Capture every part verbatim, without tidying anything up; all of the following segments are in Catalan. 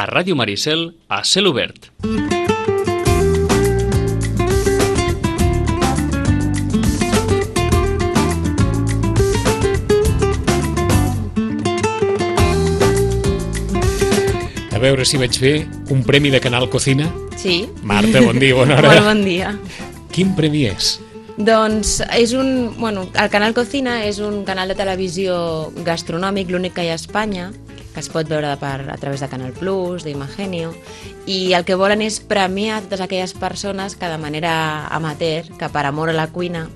a Ràdio Maricel, a Cel Obert. A veure si vaig fer un premi de Canal Cocina. Sí. Marta, bon dia, bona hora. Molt bon dia. Quin premi és? Doncs és un... Bueno, el Canal Cocina és un canal de televisió gastronòmic, l'únic que hi ha a Espanya, que es pot veure per, a través de Canal Plus, d'Imagenio, i el que volen és premiar totes aquelles persones que de manera amateur, que per amor a la cuina,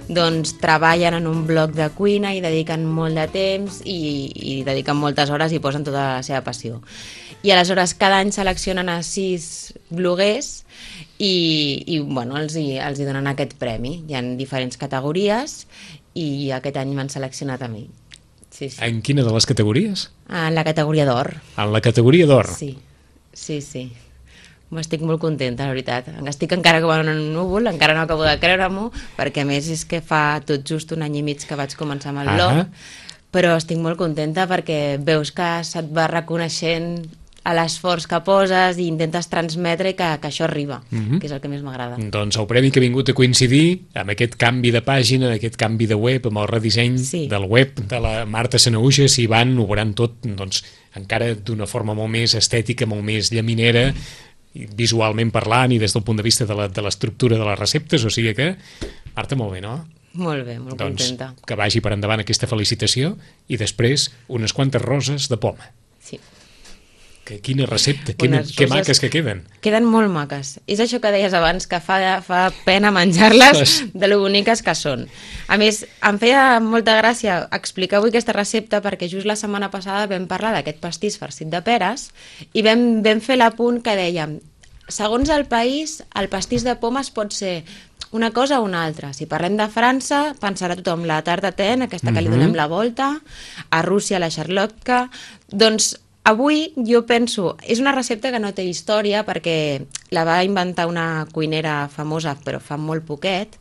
doncs treballen en un blog de cuina i dediquen molt de temps i, i dediquen moltes hores i posen tota la seva passió. I aleshores cada any seleccionen a sis bloguers i, i bueno, els, hi, els hi donen aquest premi. Hi ha diferents categories i aquest any m'han seleccionat a mi. Sí, sí. En quina de les categories? En la categoria d'or. En la categoria d'or? Sí, sí, sí. Estic molt contenta, la veritat. Estic encara com en un núvol, encara no acabo de creure-m'ho, perquè a més és que fa tot just un any i mig que vaig començar amb el blog, però estic molt contenta perquè veus que se't va reconeixent a l'esforç que poses i intentes transmetre que, que això arriba, mm-hmm. que és el que més m'agrada. Doncs el premi que ha vingut a coincidir amb aquest canvi de pàgina, aquest canvi de web, amb el redisseny sí. del web de la Marta Sanahuja, si van, ho veuran tot doncs, encara d'una forma molt més estètica, molt més llaminera, visualment parlant i des del punt de vista de l'estructura de les receptes, o sigui que, Marta, molt bé, no? Molt bé, molt doncs, contenta. Que vagi per endavant aquesta felicitació i després unes quantes roses de poma. Sí. Que quina recepta, que, que maques que queden. Queden molt maques. És això que deies abans, que fa, fa pena menjar-les de lo boniques que són. A més, em feia molta gràcia explicar avui aquesta recepta perquè just la setmana passada vam parlar d'aquest pastís farcit de peres i vam, vam fer l'apunt que dèiem, segons el país, el pastís de pomes pot ser una cosa o una altra. Si parlem de França, pensarà tothom la tarta tatin, aquesta que mm-hmm. li donem la volta, a Rússia la charlotka, doncs avui jo penso, és una recepta que no té història perquè la va inventar una cuinera famosa però fa molt poquet,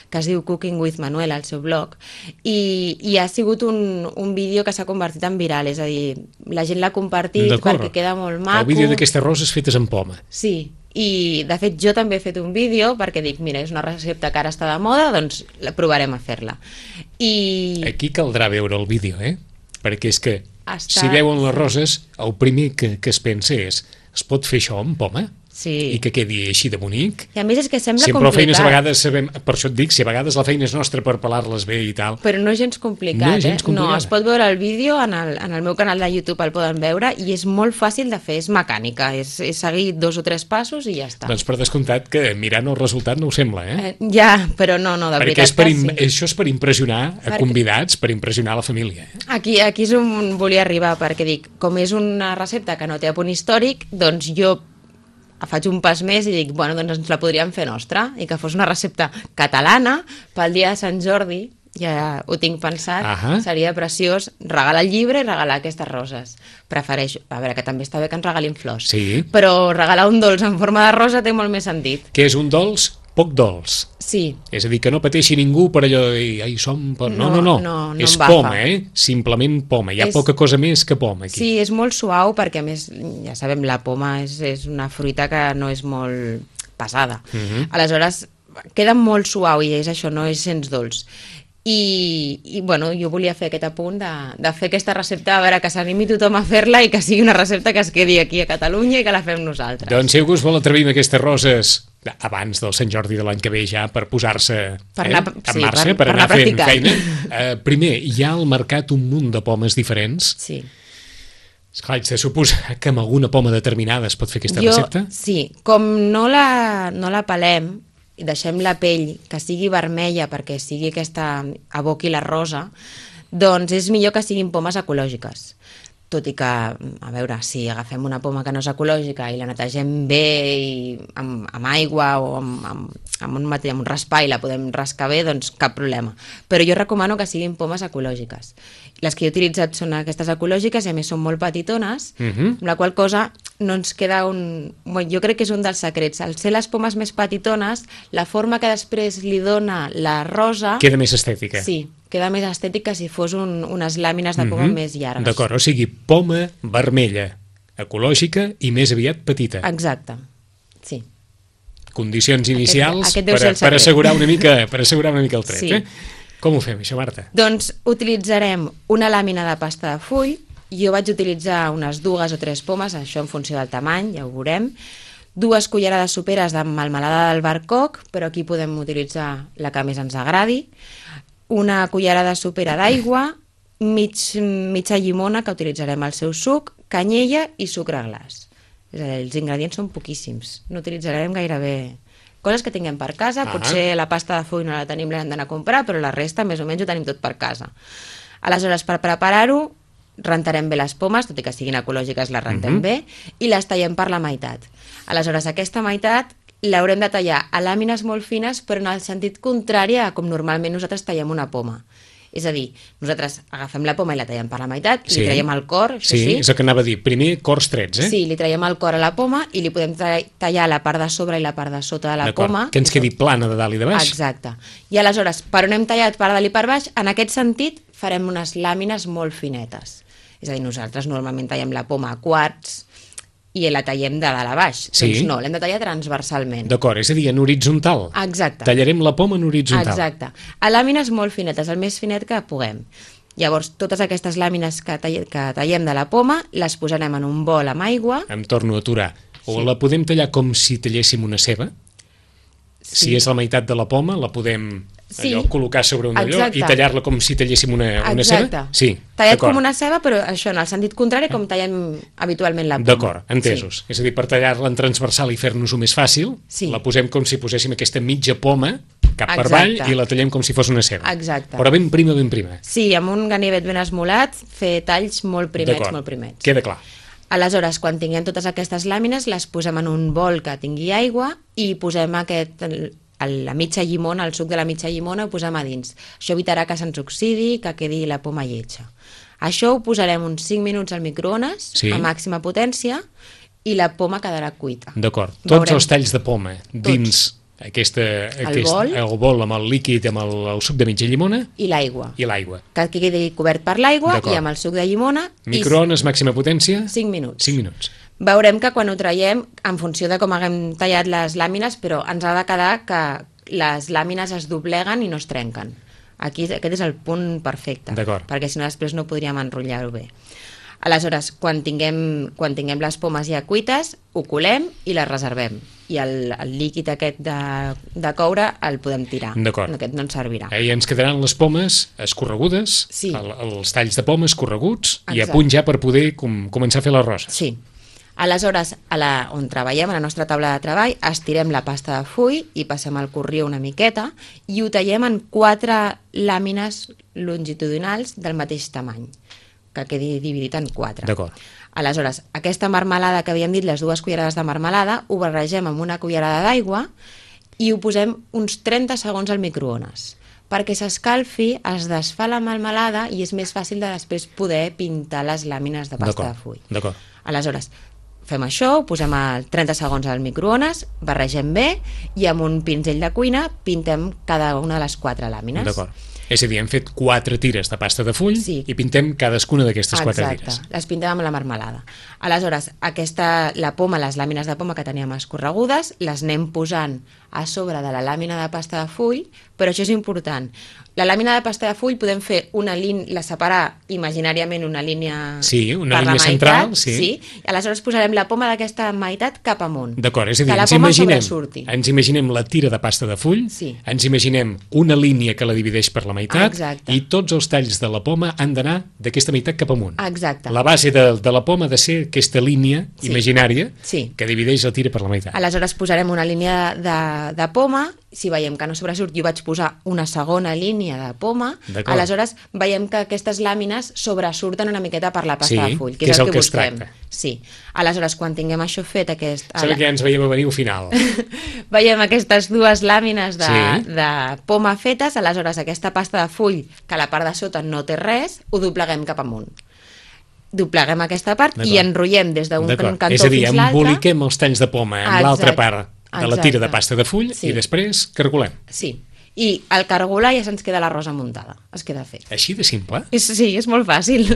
que es diu Cooking with Manuel al seu blog, i, i ha sigut un, un vídeo que s'ha convertit en viral, és a dir, la gent l'ha compartit perquè queda molt maco. El vídeo d'aquestes roses fetes amb poma. Sí, i de fet jo també he fet un vídeo perquè dic, mira, és una recepta que ara està de moda, doncs la provarem a fer-la. I... Aquí caldrà veure el vídeo, eh? Perquè és que Està... si veuen les roses, el primer que, que es pensa és, es pot fer això amb poma? Sí. I que quedi així de bonic. I a més és que sembla si complicat. Feines a vegades sabem, per això et dic, si a vegades la feina és nostra per pelar-les bé i tal. Però no és gens complicat, no és gens eh? complicat. No, es pot veure el vídeo, en el, en el meu canal de YouTube el poden veure i és molt fàcil de fer, és mecànica, és, és seguir dos o tres passos i ja està. Doncs per descomptat que mirant el resultat no ho sembla, eh? eh ja, però no, no, de Perquè veritat és per que sí. Això és per impressionar a perquè... convidats, per impressionar la família. Eh? Aquí, aquí és on volia arribar, perquè dic, com és una recepta que no té apunt històric, doncs jo faig un pas més i dic, bueno, doncs ens la podríem fer nostra, i que fos una recepta catalana pel dia de Sant Jordi, ja ho tinc pensat, uh-huh. seria preciós regalar el llibre i regalar aquestes roses. Prefereixo, a veure, que també està bé que ens regalin flors, sí. però regalar un dolç en forma de rosa té molt més sentit. Que és un dolç poc dolç. Sí. És a dir, que no pateixi ningú per allò de dir, ai, som... No, no, no, no. no, no és poma, eh? Simplement poma. Hi ha és... poca cosa més que poma aquí. Sí, és molt suau perquè, a més, ja sabem, la poma és, és una fruita que no és molt pesada. Uh-huh. Aleshores, queda molt suau i és això, no és gens dolç. I, i bueno, jo volia fer aquest apunt de, de fer aquesta recepta, a veure, que s'animi tothom a fer-la i que sigui una recepta que es quedi aquí a Catalunya i que la fem nosaltres. Doncs si algú es vol atrevir amb aquestes roses abans del Sant Jordi de l'any que ve ja per posar-se per anar, eh, en sí, marxa, per, per, per anar, anar fent feina. Eh, primer, hi ha al mercat un munt de pomes diferents. Sí. Esclar, haig de suposar que amb alguna poma determinada es pot fer aquesta jo, recepta? Sí, com no la, no la pelem i deixem la pell que sigui vermella perquè sigui aquesta, aboqui la rosa, doncs és millor que siguin pomes ecològiques. Tot i que, a veure, si agafem una poma que no és ecològica i la netegem bé i amb, amb aigua o amb, amb, amb, un mateix, amb un raspar i la podem rascar bé, doncs cap problema. Però jo recomano que siguin pomes ecològiques. Les que he utilitzat són aquestes ecològiques i a més són molt petitones, uh-huh. amb la qual cosa no ens queda un... Bueno, jo crec que és un dels secrets. Al ser les pomes més petitones, la forma que després li dona la rosa... Queda més estètica. Sí, queda més estètica si fos un, unes làmines de poma mm-hmm. més llargues. D'acord, o sigui, poma vermella, ecològica i més aviat petita. Exacte, sí. Condicions inicials aquest, aquest per, per, assegurar una mica, per assegurar una mica el tret. Sí. Eh? Com ho fem, això, Marta? Doncs utilitzarem una làmina de pasta de full. Jo vaig utilitzar unes dues o tres pomes, això en funció del tamany, ja ho veurem. Dues cullerades soperes de melmelada d'albercoc, però aquí podem utilitzar la que més ens agradi. Una cullerada sopera d'aigua, mig, mitja llimona, que utilitzarem el seu suc, canyella i sucre glaç. És a dir, els ingredients són poquíssims. No utilitzarem gairebé coses que tinguem per casa. Ah. Potser la pasta de full no la tenim, l'hem d'anar a comprar, però la resta més o menys ho tenim tot per casa. Aleshores, per preparar-ho, rentarem bé les pomes, tot i que siguin ecològiques les rentem uh-huh. bé, i les tallem per la meitat. Aleshores, aquesta meitat l'haurem de tallar a làmines molt fines, però en el sentit contrari a com normalment nosaltres tallem una poma. És a dir, nosaltres agafem la poma i la tallem per la meitat, sí. li traiem el cor, això sí. sí. És el que anava a dir, primer cors trets, eh? Sí, li traiem el cor a la poma i li podem tallar la part de sobre i la part de sota de la poma. Que ens quedi plana de dalt i de baix. Exacte. I aleshores, per on hem tallat per dalt i per baix, en aquest sentit farem unes làmines molt finetes. És a dir, nosaltres normalment tallem la poma a quarts i la tallem de dalt a baix. Sí. Doncs no, l'hem de tallar transversalment. D'acord, és a dir, en horitzontal. Exacte. Tallarem la poma en horitzontal. Exacte. A làmines molt finetes, el més finet que puguem. Llavors, totes aquestes làmines que, tall que tallem de la poma, les posarem en un bol amb aigua. Em torno a aturar. O sí. La podem tallar com si talléssim una ceba? Sí. Si és la meitat de la poma, la podem sí. allò, col·locar sobre un allò i tallar-la com si talléssim una, una ceba? Sí, tallat com una ceba, però això en el sentit contrari com tallem habitualment la poma. D'acord, entesos. Sí. És a dir, per tallar-la en transversal i fer-nos-ho més fàcil, sí. la posem com si poséssim aquesta mitja poma cap per Exacte. avall i la tallem com si fos una ceba. Exacte. Però ben prima, ben prima. Sí, amb un ganivet ben esmolat, fer talls molt primets, molt primets. Queda clar. Aleshores, quan tinguem totes aquestes làmines, les posem en un bol que tingui aigua i posem aquest, la mitja llimona, el suc de la mitja llimona, ho posem a dins. Això evitarà que se'ns oxidi, que quedi la poma lletja. Això ho posarem uns cinc minuts al microones, sí. a màxima potència, i la poma quedarà cuita. D'acord. Tots Veurem... els talls de poma dins Tots. Aquesta, el, aquest, bol. el bol amb el líquid, amb el, el suc de mitja llimona i l'aigua. I l'aigua. Que quedi cobert per l'aigua i amb el suc de llimona. Microones, i... màxima potència? cinc minuts. cinc minuts. Veurem que quan ho traiem, en funció de com haguem tallat les làmines, però ens ha de quedar que les làmines es dobleguen i no es trenquen. Aquí aquest és el punt perfecte, perquè si no després no podríem enrotllar-ho bé. Aleshores, quan tinguem, quan tinguem les pomes ja cuites, ho colem i les reservem. I el, el líquid aquest de, de coure el podem tirar. D'acord. Aquest no ens servirà. I ens quedaran les pomes escorregudes, sí. el, els talls de pomes escorreguts, Exacte. I a punt ja per poder com, començar a fer les roses. Sí. Aleshores, a la, on treballem, a la nostra taula de treball, estirem la pasta de full i passem el corrió una miqueta i ho tallem en quatre làmines longitudinals del mateix tamany, que quedi dividit en quatre. D'acord. Aleshores, aquesta marmelada que havíem dit, les dues cullerades de marmelada, ho barregem amb una cullerada d'aigua i ho posem uns trenta segons al microones. Perquè s'escalfi, es desfà la marmelada i és més fàcil de després poder pintar les làmines de pasta de full. D'acord. Aleshores, fem això, ho posem a trenta segons al microones, barregem bé i amb un pinzell de cuina pintem cada una de les quatre làmines. D'acord. És a dir, hem fet quatre tires de pasta de full sí. i pintem cadascuna d'aquestes quatre tires. Exacte, les pintem amb la marmelada. Aleshores, aquesta, la poma, les làmines de poma que teníem escorregudes, les anem posant a sobre de la làmina de pasta de full, però això és important. La làmina de pasta de full podem fer una línia, la separar imaginàriament una línia sí, una per línia la meitat, central, sí. sí, i aleshores posarem la poma d'aquesta meitat cap amunt. D'acord, és a dir, que la ens poma imaginem, sobresurti. ens imaginem la tira de pasta de full, sí. ens imaginem una línia que la divideix per la meitat Exacte. I tots els talls de la poma han d'anar d'aquesta meitat cap amunt. Exacte. La base de, de la poma ha de ser aquesta línia sí. imaginària sí. que divideix la tira per la meitat. Aleshores posarem una línia de, de poma, si veiem que no sobresurt, jo vaig posar una segona línia de poma, aleshores veiem que aquestes làmines sobresurten una miqueta per la pasta sí, de full, que és, és el, el que, que busquem. Sí. Aleshores, quan tinguem això fet... Aquest, Sembla que ja ens veiem a venir al final. Veiem aquestes dues làmines de, sí. de poma fetes, aleshores aquesta pasta de full, que a la part de sota no té res, ho dobleguem cap amunt. Dobleguem aquesta part i enrotllem des d'un cantó fins l'altre. És a dir, emboliquem els talls de poma amb l'altra part de la tira de pasta de full sí. i després cargolem. Sí, i al cargolar ja se'ns queda la rosa muntada, es queda fet. Així de simple? És, sí, és molt fàcil.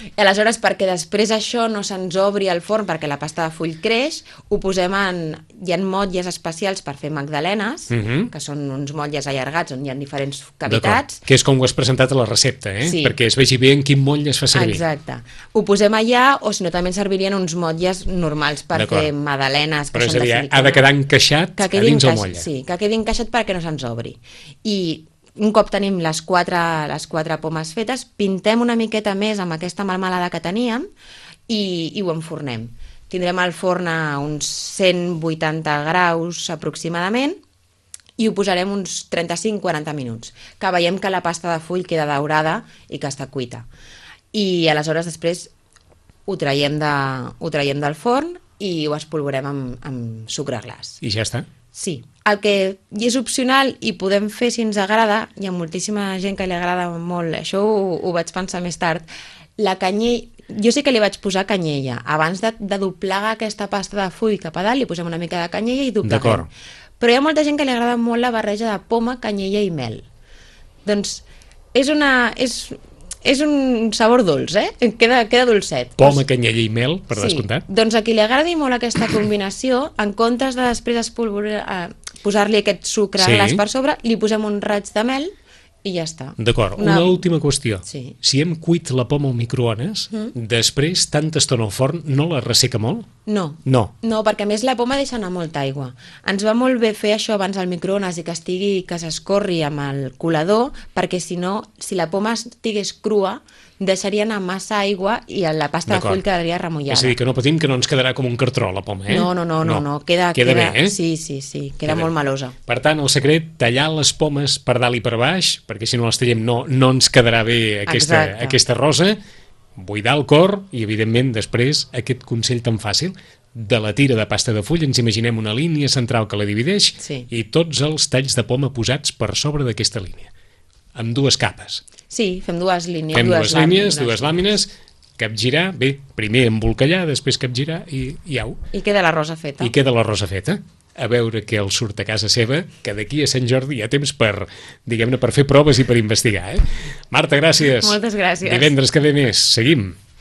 I aleshores, perquè després això no se'ns obri al forn, perquè la pasta de full creix, ho posem en... Hi ha motlles especials per fer magdalenes, uh -huh. que són uns motlles allargats on hi ha diferents cavitats. Que és com ho has presentat a la recepta, eh? Sí. Perquè es vegi bé en quin motlle es fa servir. Exacte. Ho posem allà, o si no també ens serviríem uns motlles normals per fer magdalenes, que però són de silicona. Però ha de quedar encaixat que a dins el motlle. Sí, que quedi encaixat perquè no se'ns obri. I un cop tenim les quatre, les quatre pomes fetes, pintem una miqueta més amb aquesta melmelada que teníem i, i ho enfornem. Tindrem el forn a uns cent vuitanta graus aproximadament i ho posarem uns trenta-cinc a quaranta minuts, que veiem que la pasta de full queda daurada i que està cuita. I aleshores després ho traiem, de, ho traiem del forn i ho espolvorem amb, amb sucre glaç. I ja està? Sí. El que és opcional i podem fer si ens agrada, hi ha moltíssima gent que li agrada molt, això ho, ho vaig pensar més tard, la canyella, jo sí que li vaig posar canyella, abans de, de doblegar aquesta pasta de full cap a dalt, li posem una mica de canyella i dobleguem. D'acord. Però hi ha molta gent que li agrada molt la barreja de poma, canyella i mel. Doncs és una... És, és un sabor dolç, eh? Queda, queda dolcet. Poma, canyella i mel, per sí. descomptat. Doncs a qui li agradi molt aquesta combinació, en comptes de després eh, posar-li aquest sucre sí. glaç per sobre, li posem un raig de mel i ja està. D'acord, una... una última qüestió. Sí. Si hem cuit la poma al microones, mm. després, tanta estona al forn, no la resseca molt? No. No. No, perquè a més la poma deixa anar molta aigua. Ens va molt bé fer això abans al microones i que estigui, que s'escorri amb el colador, perquè si no, si la poma estigués crua, deixaria anar massa aigua i la pasta de full quedaria remullada. És a dir, que no patim que no ens quedarà com un cartró la poma, eh? No, no, no, no, no. Queda, queda, queda bé, eh? Sí, sí, sí, queda, queda molt bé. melosa. Per tant, el secret, tallar les pomes per dalt i per baix, perquè si no les tallem no, no ens quedarà bé aquesta, aquesta rosa, buidar el cor i, evidentment, després aquest consell tan fàcil de la tira de pasta de full, ens imaginem una línia central que la divideix sí. i tots els talls de poma posats per sobre d'aquesta línia, amb dues capes. Sí, fem dues línies. Fem dues, dues línies, dues, dues làmines, capgirar, bé, primer embolcallar, després capgirar i, i au. I queda la rosa feta. I queda la rosa feta. A veure què el surt a casa seva, que d'aquí a Sant Jordi hi ha temps per, diguem-ne, per fer proves i per investigar, eh? Marta, gràcies. Moltes gràcies. Divendres que ve més. Seguim.